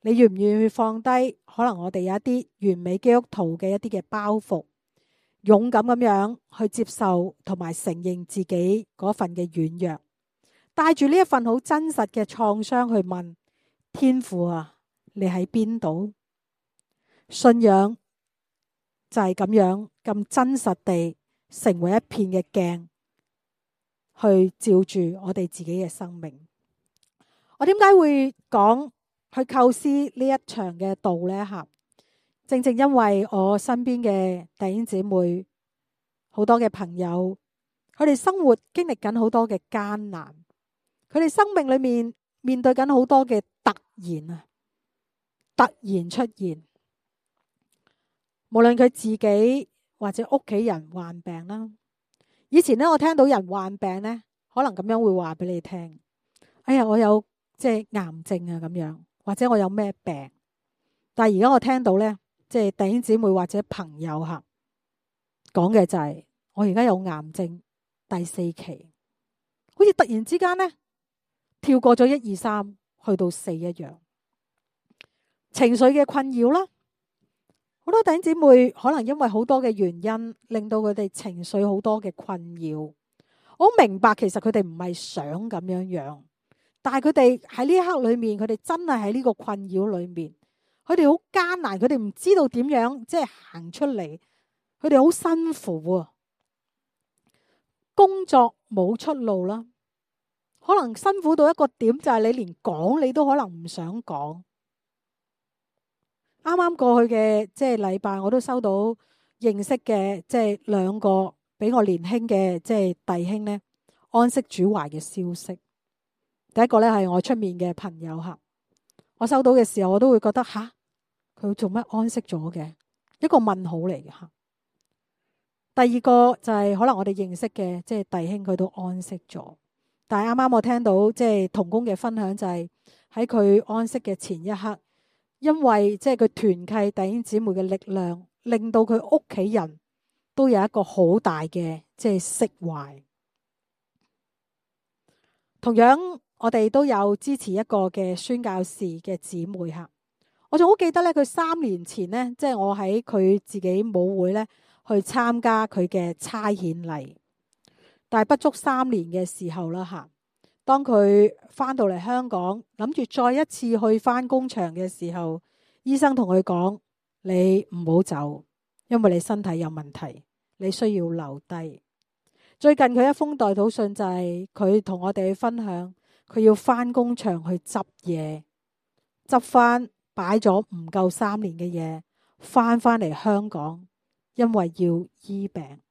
你願唔願意放低可能我哋有一啲完美基督徒嘅一啲嘅包袱，勇敢咁樣去接受同埋承認自己嗰份嘅軟弱，帶住呢一份好真實嘅創傷去問天父啊，你喺邊度？信仰就係咁樣咁真實地成為一片嘅鏡，去照住我哋自己嘅生命。我點解會講去構思呢一場嘅道呢？正正因為我身邊嘅弟兄姊妹，好多嘅朋友，佢哋生活經歷緊好多嘅艱難，佢哋生命裏面面對緊好多嘅突然出現。無論佢自己或者屋企人患病啦，以前呢，我聽到人患病呢，可能咁樣會話俾你聽：哎呀，我有即係癌症啊咁樣，或者我有咩病。但係而家我聽到呢，即係弟兄姊妹或者朋友講嘅就係我而家有癌症第4期，好似突然之間呢，跳過咗1、2、3去到4一樣。情緒嘅困擾啦，好多弟兄姊妹可能因為好多嘅原因，令到佢哋情緒好多嘅困擾。我明白其實佢哋唔係想咁樣，但係佢哋喺呢一刻裏面，佢哋真係喺呢個困擾裏面，佢哋好艱難，佢哋唔知道點樣即係行出嚟，佢哋好辛苦啊！工作冇出路啦，可能辛苦到一個點，就係你連講你都可能唔想講。啱啱過去嘅即係禮拜，我都收到認識嘅即係2個比我年輕嘅即係弟兄呢，安息主懷嘅消息。第一個呢係我出面嘅朋友吓，我收到嘅時候我都會覺得吓，佢做乜安息咗嘅？一個問號嚟嘅吓。第二個就係可能我哋認識嘅即係弟兄，佢都安息咗。但係啱啱我聽到即係同工嘅分享，就係喺佢安息嘅前一刻，因為即係佢團契弟兄姊妹嘅力量，令到佢屋企人都有一個好大嘅即係釋懷。同樣我哋都有支持一個嘅宣教士嘅姊妹吓，我仲好記得咧，佢3年前呢，即係我喺佢自己母會咧去參加佢嘅差遣禮，但係不足3年嘅時候啦吓，當佢翻到嚟香港，諗住再一次去翻工場嘅時候，醫生同佢講：你唔好走，因為你身體有問題，你需要留低。最近佢一封代禱信就係佢同我哋去分享，佢要翻工場去執嘢，執翻擺咗唔夠3年嘅嘢，翻嚟香港，因為要醫病。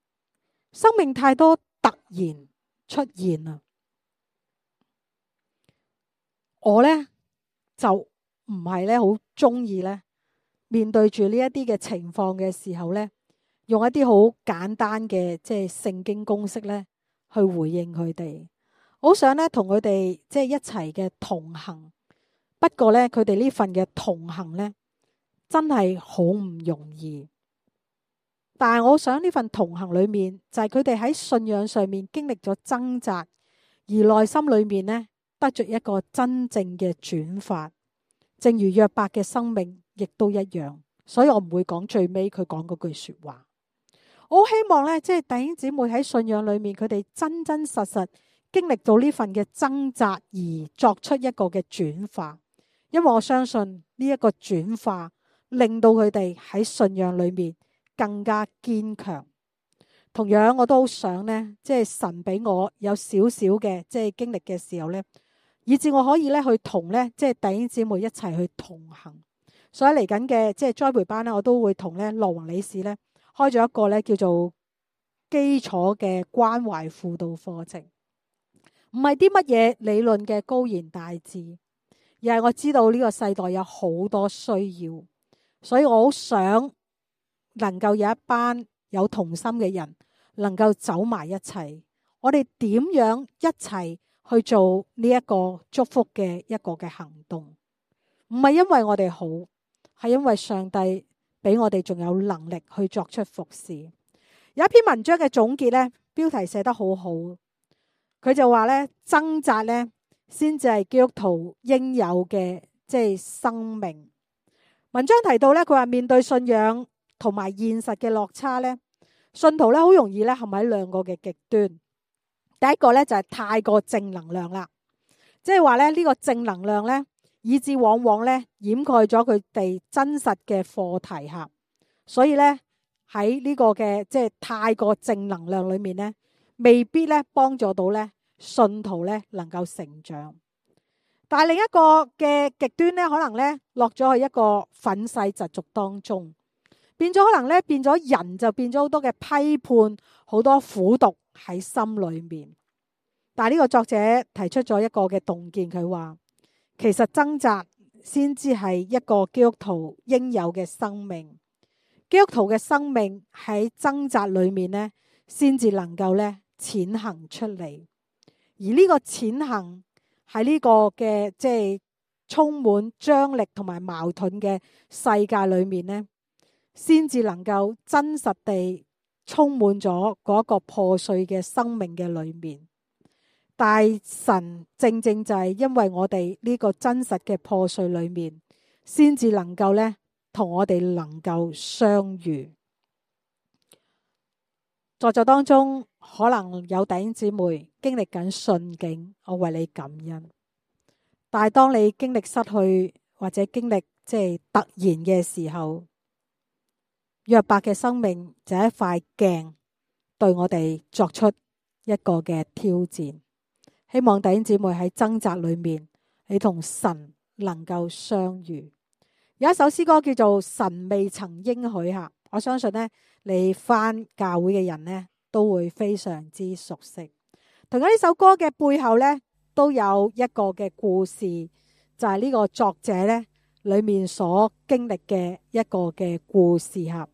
生命太多突然出現啦，我呢就唔係咧好中意咧面對住呢一啲嘅情況嘅時候呢，用一啲好簡單嘅即係聖經公式咧去回應佢哋。我好想咧同佢哋即係一齊嘅同行，不過咧佢哋呢份嘅同行咧真係好唔容易。但係我想呢份同行裏面，就係佢哋喺信仰上面經歷咗掙扎，而內心裏面呢得着一個真正嘅轉化。正如約伯嘅生命亦都一樣，所以我唔會講最尾佢講嗰句說話。我好希望呢，即係弟兄姊妹喺信仰裏面，佢哋真真實實經歷到呢份嘅掙扎，而作出一個嘅轉化。因為我相信呢一個轉化，令到佢哋喺信仰裏面更加堅強。同樣我都好想呢，即係神俾我有少少嘅即係經歷嘅時候呢，以至我可以呢去同呢即係弟兄姊妹一齊去同行。所以嚟緊嘅即係栽培班呢，我都會同呢羅宏理事呢開咗一個呢叫做基礎嘅關懷輔導課程。唔係啲乜嘢理論嘅高言大智，而係我知道呢個世代有好多需要，所以我好想能夠有一班有同心嘅人能夠走埋一齊，我哋點樣一齊去做呢一個祝福嘅一個嘅行動？唔係因為我哋好，係因為上帝俾我哋仲有能力去作出服侍。有一篇文章嘅總結呢，標題寫得好好，佢就話呢，掙扎呢先至係基督徒應有嘅即係生命。文章提到呢，佢話面對信仰同埋現實嘅落差呢，信徒呢好容易呢陷喺2個嘅極端。第一個呢就係太過正能量啦，即係話呢呢個正能量呢，以致往往呢掩蓋咗佢哋真實嘅課題吓，所以呢喺呢個嘅即係太過正能量裏面呢，未必呢幫助到呢信徒呢能夠成長。但係另一個嘅極端呢，可能呢落咗去一個憤世嫉俗當中，變咗可能呢變咗人就變咗好多嘅批判，好多苦毒喺心裏面。但係呢個作者提出咗一個嘅洞見，佢話其實掙扎先至係一個基督徒應有嘅生命。基督徒嘅生命喺掙扎裏面呢，先至能夠呢踐行出嚟。而呢個踐行喺呢個嘅即係充滿張力同埋矛盾嘅世界裏面呢，先至能夠真實地充滿咗嗰個破碎嘅生命嘅裏面。但神正正就係因為我哋呢個真實嘅破碎裏面，先至能夠呢同我哋能夠相遇。在座當中可能有弟兄姊妹經歷緊順境，我為你感恩。但係當你經歷失去或者經歷即係突然嘅時候，約伯嘅生命就係一塊鏡，對我哋作出一個嘅挑戰。希望弟兄姊妹喺掙扎裏面，你同神能夠相遇。有一首詩歌叫做《神未曾應許》下，我相信呢，你返教會嘅人呢都會非常之熟悉。同樣呢首歌嘅背後呢，都有一個嘅故事，就係呢個作者呢裏面所經歷嘅一個嘅故事吓。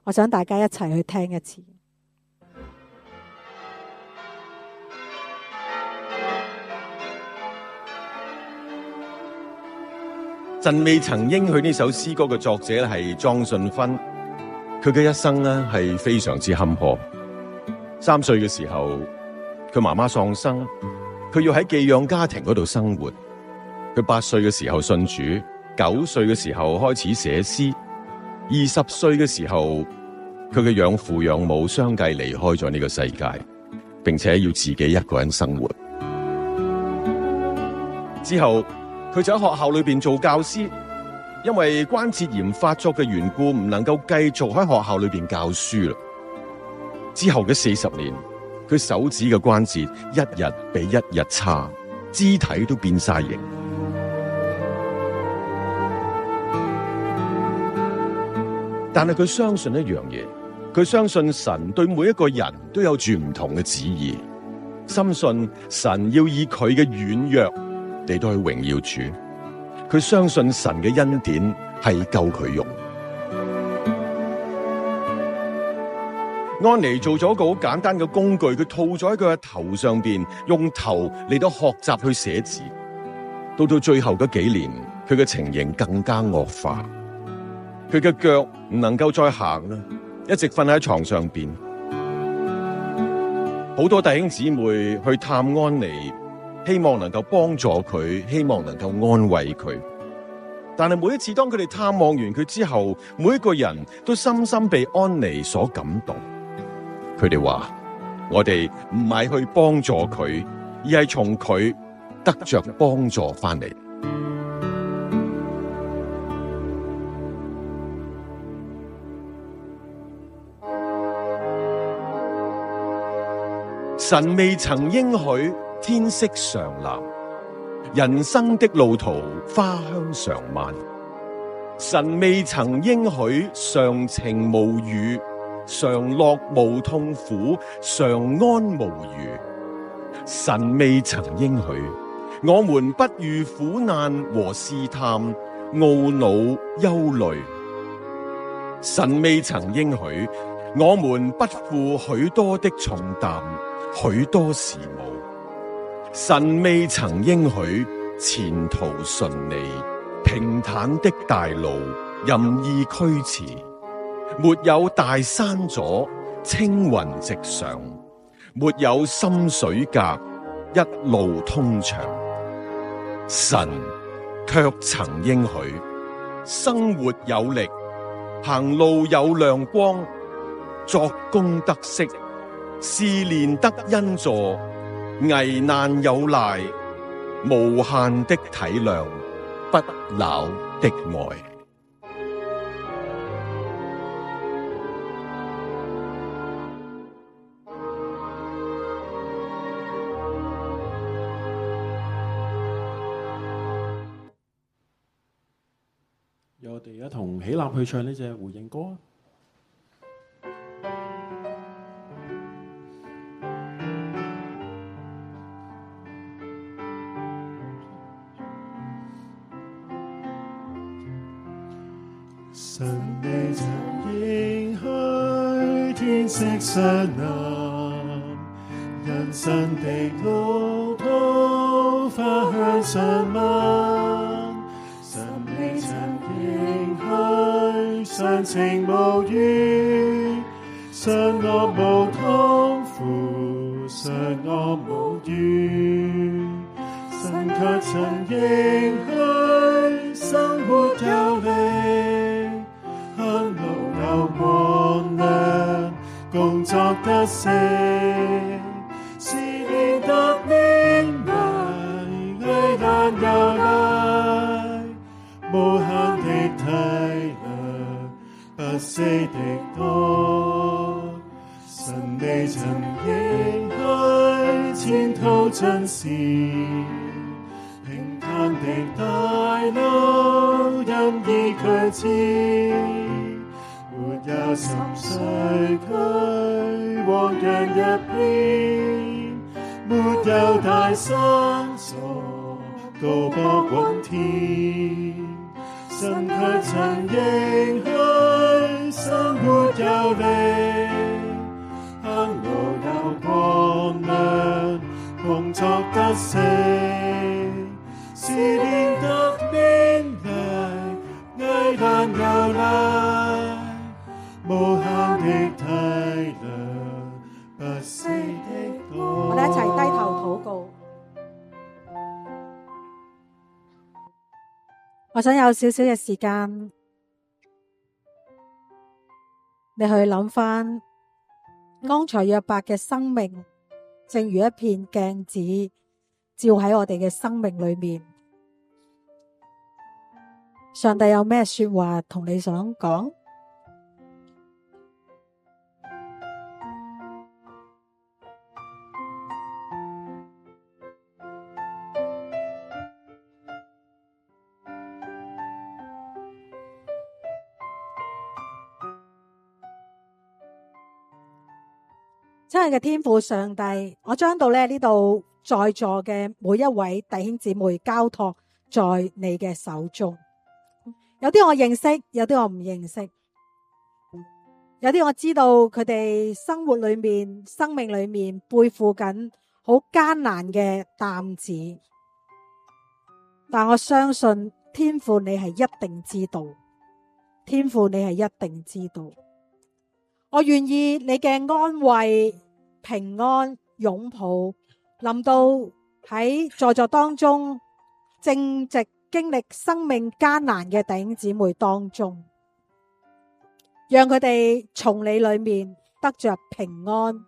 我想大家一齊去聽一次。神未曾應許呢首詩歌嘅作者係莊信芬，佢嘅一生呢係非常之坎坷。3歲嘅時候，佢媽媽喪生，佢要喺寄養家庭嗰度生活。佢8歲嘅時候信主，9歲嘅時候開始寫詩，20歲嘅時候，佢嘅養父養母相繼離開咗呢個世界，並且要自己一個人生活。之後佢就喺學校裏邊做教師，因為關節炎發作嘅緣故，唔能夠繼續喺學校裏邊教書啦。之後嘅40年，佢手指嘅關節一日比一日差，肢體都變晒形。但係佢相信一樣嘢，佢相信神對每一個人都有住唔同嘅旨意，深信神要以佢嘅軟弱嚟到去榮耀主。佢相信神嘅恩典係夠佢用。安妮做咗個好簡單嘅工具，佢套咗喺佢嘅頭上邊，用頭嚟到學習去寫字。到最後嗰幾年，佢嘅情形更加惡化，佢嘅腳唔能夠再行啦，一直瞓喺床上邊。好多弟兄姊妹去探安妮，希望能夠幫助佢，希望能夠安慰佢。但係每一次當佢哋探望完佢之後，每一個人都深深被安妮所感動。佢哋話：我哋唔係去幫助佢，而係從佢得着幫助翻嚟。神未曾應許天色常藍，人生的路途花香常漫。神未曾應許常晴無雨，常樂無痛苦，常安無虞。神未曾應許我們不遇苦難和試探，懊惱憂慮。神未曾應許我們不負許多的重擔，許多事務。神未曾應許前途順利，平坦的大路任意驅馳，沒有大山阻，青雲直上，沒有深水隔，一路通暢。神卻曾應許生活有力，行路有亮光，作工得息，試煉得恩助，危難有賴，無限的體諒，不朽的愛。由我哋一同起立去唱呢隻回應歌啊！神未曾應許天色常藍，人生的路途花香常漫。神未曾應許常晴無雨，常我無痛苦，常我無怨，神卻曾應許生活有力，行路有光亮，工作得勝，試煉得勉勵，危難又來，無限的體諒，不死的愛，神未曾應許前途盡是平坦的大路任意驅馳，沒有深水區汪洋一片，沒有大山阻高坡雲天，神卻曾應許生活有力，行路有光亮，工作得勝，試煉得勉勵，危難又來，無限的體諒，不死的愛。我哋一齊低頭禱告。我想有少少嘅時間，你去諗翻安財約伯嘅生命，正如一片鏡子，照喺我哋嘅生命裏面。上帝有咩說話同你想講？親愛嘅天父上帝，我將到呢度在座嘅每一位弟兄姊妹交託在你嘅手中。有啲我認識，有啲我唔認識，有啲我知道佢哋生活裏面、生命裏面背負緊好艱難嘅擔子，但我相信天父你係一定知道，天父你係一定知道。我願意你嘅安慰、平安、擁抱臨到喺在座當中正值經歷生命艱難嘅弟兄姊妹當中，讓佢哋從你裏面得着平安，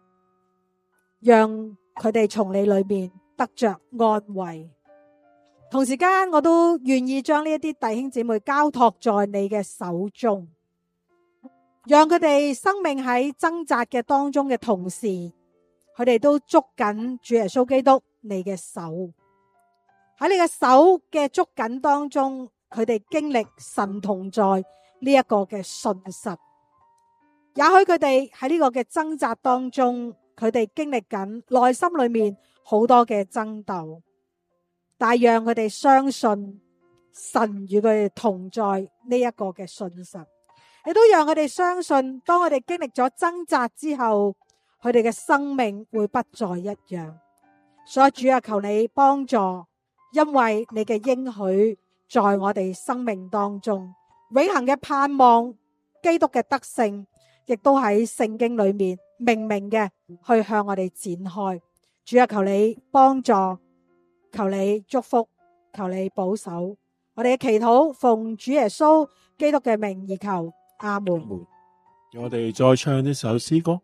讓佢哋從你裏面得着安慰。同時間我都願意將呢一啲弟兄姊妹交託在你嘅手中，讓佢哋生命喺掙扎嘅當中嘅同時，佢哋都捉緊主耶穌基督你嘅手，喺你嘅手嘅捉緊當中，佢哋經歷神同在呢一個嘅信實。也許佢哋喺呢個嘅掙扎當中，佢哋經歷緊內心裏面好多嘅爭鬥，但係讓佢哋相信神與佢哋同在呢一個嘅信實。亦都讓佢哋相信，當我哋經歷咗掙扎之後，佢哋嘅生命會不再一樣。所以主啊，求你幫助，因為你嘅應許在我哋生命當中，永恆嘅盼望，基督嘅得勝，亦都喺聖經裏面明明嘅去向我哋展開。主啊，求你幫助，求你祝福，求你保守。我哋嘅祈禱奉主耶穌基督嘅名而求。阿門。我哋再唱呢首詩歌。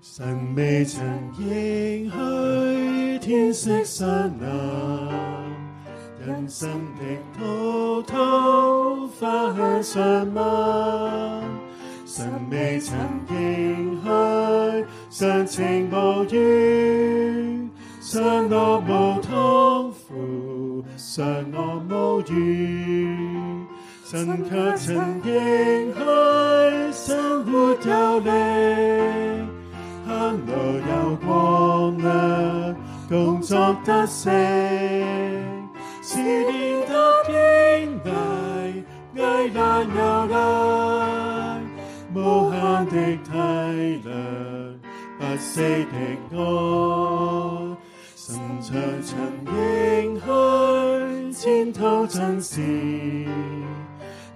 神未曾應許天色山藍，人生的路途花香上漫。神未曾應許常情無怨，常樂無痛苦，常樂無怨。神卻曾應許生活有力，行路有光亮，工作得勝，試煉得堅毅，危難又來，無限的體諒，不死的愛。神卻曾應許前途盡是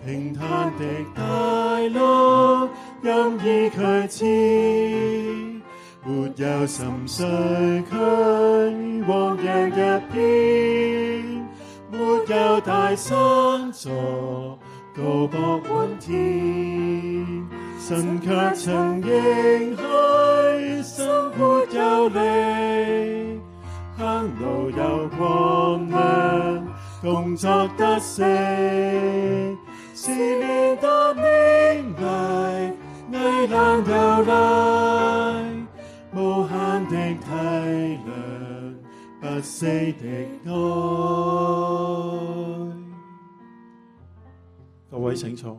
平坦的大路任意驅馳，沒有深水區汪洋一片，沒有大山座高泊滿天，神卻曾應許生活有力，行路有光亮，工作得勝，試煉得勉勵，危難又來，無限的體諒，不死的愛。各位請坐。